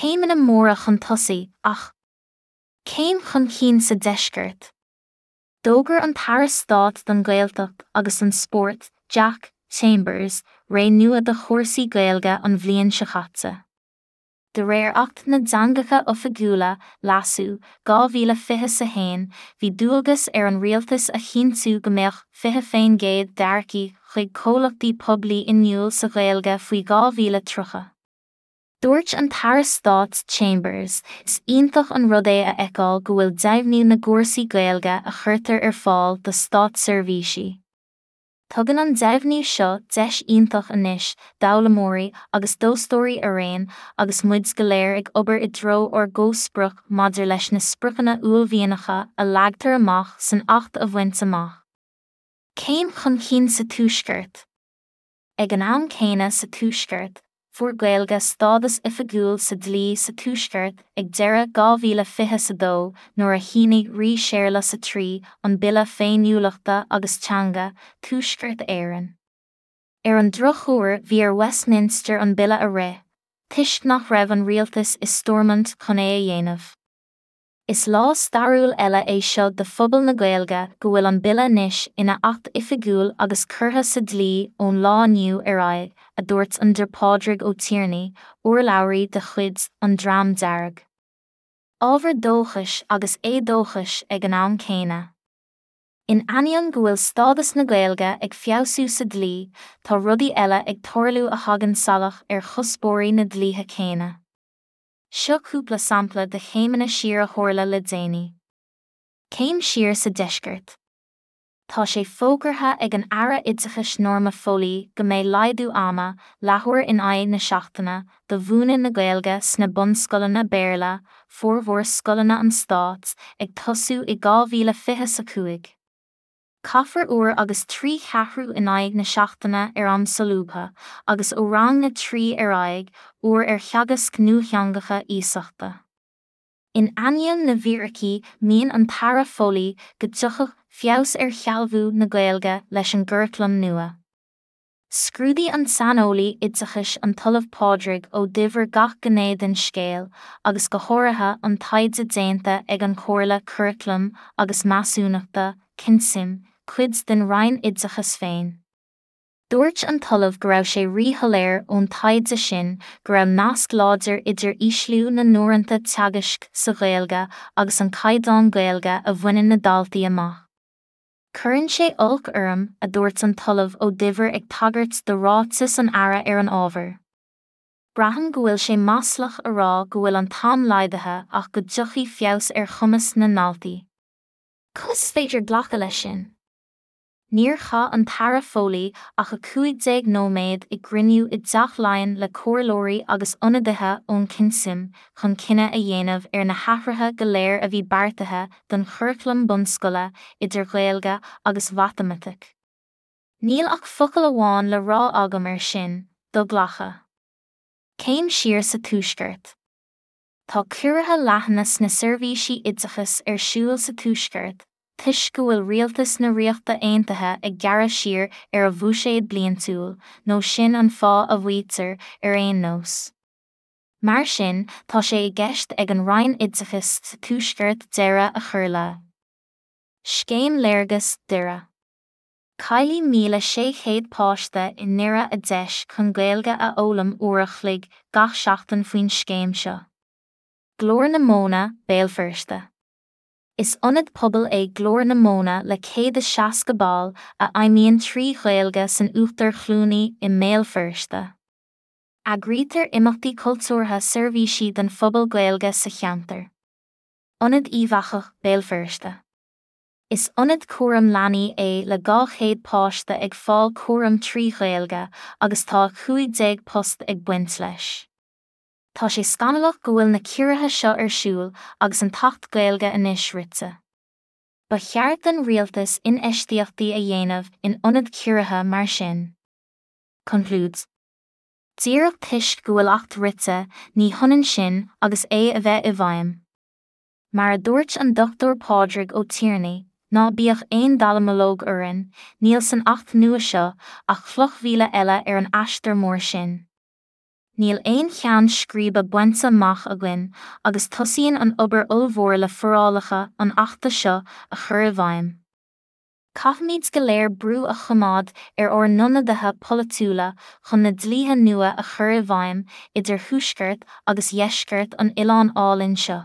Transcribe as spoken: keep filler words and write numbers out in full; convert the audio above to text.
Céimeanna móra chun tosaigh, ach céim chun cinn sa deisceart. D'fhógair an tAire Stáit don Ghaeltacht agus an Spórt, Jack Chambers, ré nua do chúrsaí Gaeilge an bhliain seo caite. De réir Acht na dTeangacha Oifigiúla, Leasú, dhá mhíle fiche a haon, bhí dualgas ar an rialtas a chinntiú go mbeadh fiche faoin gcéad d'earcaigh chuig comhlachtaí poiblí inniúil sa Ghaeilge faoi dhá mhíle tríocha. Dúirt an tAire Stáit Chambers, Is iontach an rud é a fheiceáil go bhfuil deimhniú na gcúrsaí Gaeilge a chuirtear ar fáil do státseirbhísí. Tugann an deimhniú seo deis iontach anois d'fhoghlaimeoirí agus d'fhostóirí araon agus muid go léir ag obair i dtreo ár gcomhsprioc maidir leis na spriocanna uaillmhianacha a leagtar amach san Acht a bhaint amach. Céim chun cinn sa Tuaisceart. Ag an am céanna sa Tuaisceart, fuair Gaeilge stádas oifigiúil sa dlí sa Tuaisceart ag deireadh dhá mhíle fiche a dó nuair a shínigh Rí Séarlas a trí an Bille Féiniúlachta agus Teanga, Tuaisceart Éireann. Ar an drochuair bhí ar Westminster an bille a rith, toisc nach raibh an rialtas i Stormont chun é a dhéanamh. Is lá stairiúil eile é seo do phobal na Gaeilge go bhfuil an bille anois ina acht oifigiúil agus curtha sa dlí ón lá inniu ar aghaidh, a dúirt an Dr Pádraig Ó Tiarnaigh, urlabhraí de chuid an Dream Dearg. Ábhar dóchais agus éadóchais ag an am céanna. In ainneoin go bhfuil stádas na Gaeilge ag feabhsú sa dlí, tá rudaí eile ag tarlú a thagann salach ar chuspóirí na dlíthe céanna. Seo cúpla sampla de chéimeanna siar a tharla le déanaí. Céim siar sa deisceart. Tá sé fógartha ag an Aire Oideachais Norma Foley go mbeidh laghdú ama, leathuair in aghaidh na seachtaine, do mhúineadh na Gaeilge sna bunscoileanna Béarla, formhór scoileanna an stáit, ag tosú i dhá mhíle fiche a cúig. Caithfear uair agus trí cheathrú in aghaidh na seachtaine ar am solúbtha, agus ó rang a trí ar aghaidh, uair ar theagasc nuatheangacha iasachta. In ainneoin na bhfíricí, maíonn an tAire Foley go dtiocfadh feabhas ar shealbhú na Gaeilge leis an gcuraclam nua. Scrúdaigh an saineolaí oideachais an tOllamh Pádraig Ó Duibhir gach gné den scéal, agus go háirithe an taighde déanta ag an Chomhairle Curaclaim agus Measúnachta, CNCM, cuid den Roinn Oideachais féin. Dúirt an tOllamh go raibh sé ríshoiléir ón taighde sin go raibh nasc láidir idir ísliú na n-uaireanta teagaisc sa Ghaeilge agus an caighdeán Gaeilge a bhaineann na daltaí amach. Cuireann sé olc orm, a dúirt an tOllamh Ó Duibhir ag tagairt do ráiteas an Aire ar an ábhar. Braithim go bhfuil sé maslach a rá go bhfuil an t-am laghdaithe ach go dtiocfaidh feabhas ar chumas na ndaltaí. Conas is féidir glacadh leis sin? Níor chaith an tAire Foley ach a cúig déag nóiméad i gcruinniú i dTeach Laighean le comhairleoirí agus ionadaithe ón CNCM chun cinneadh a dhéanamh ar na hathruithe go léir a bhí beartaithe don churaclam bunscoile idir Ghaeilge agus Mhatamaitic. Níl ach focal amháin le rá agam air sin, do-ghlactha. Céim siar sa Tuaisceart. Tá ciorruithe leathana sna seirbhísí oideachais ar siúl sa Tuaisceart, toisc go bhfuil rialtas na Ríochta Aontaithe ag gearradh siar ar a bhuiséad bliantúil, nó sin an fáth a mhaítear ar aon nós. Mar sin, tá sé i gceist ag an Roinn Oideachais sa Tuaisceart deireadh a chur le Scéim Léargas Doire. Caillfidh míle sé chéad páiste i nDoire a deis chun Gaeilge a fhoghlaim uair a chloig gach seachtain faoin scéim seo. Glór na Móna, Béal Feirste. Is ionad pobail é Glór na Móna le céad is seasca ball a fheidhmíonn trí Ghaeilge san Uachtar Chluanaí i mBéal Feirste. Eagraítear imeachtaí cultúrtha seirbhísí don phobal Gaeilge sa cheantar. Ionad Uíbh Eachach, Béal Feirste. Is ionad cúram leanaí é le dhá chéad páiste ag fáil cúram trí Ghaeilge agus tá cúig déag post ag baint leis. Tá sé scannalach go bhfuil na ciorruithe seo ar siúl agus an tAcht Gaeilge anois rite. Ba cheart don rialtas infheistíochtaí a dhéanamh in ionad ciorruithe mar sin. Concludes. Díreach toisc go bhfuil Acht rite, ní hionann sin agus é a bheith i bhfeidhm. Mar a dúirt an Dochtúir Pádraig Ó Tiarnaigh, ná bíodh aon dallamullóg orainn, níl san Acht nua seo ach cloch mhíle eile ar an aistear mór sin. níl aon cheann scríbe bainte amach againn agus tosaíonn an obair ollmhór le forálacha an Achta seo a chur i bhfeidhm. Caithfimid go léir brú a choimeád ar ár n-ionadaithe polaitiúla chun na dlíthe nua a chur i bhfeidhm idir thuaisceart agus dheisceart an oileáin álainn seo.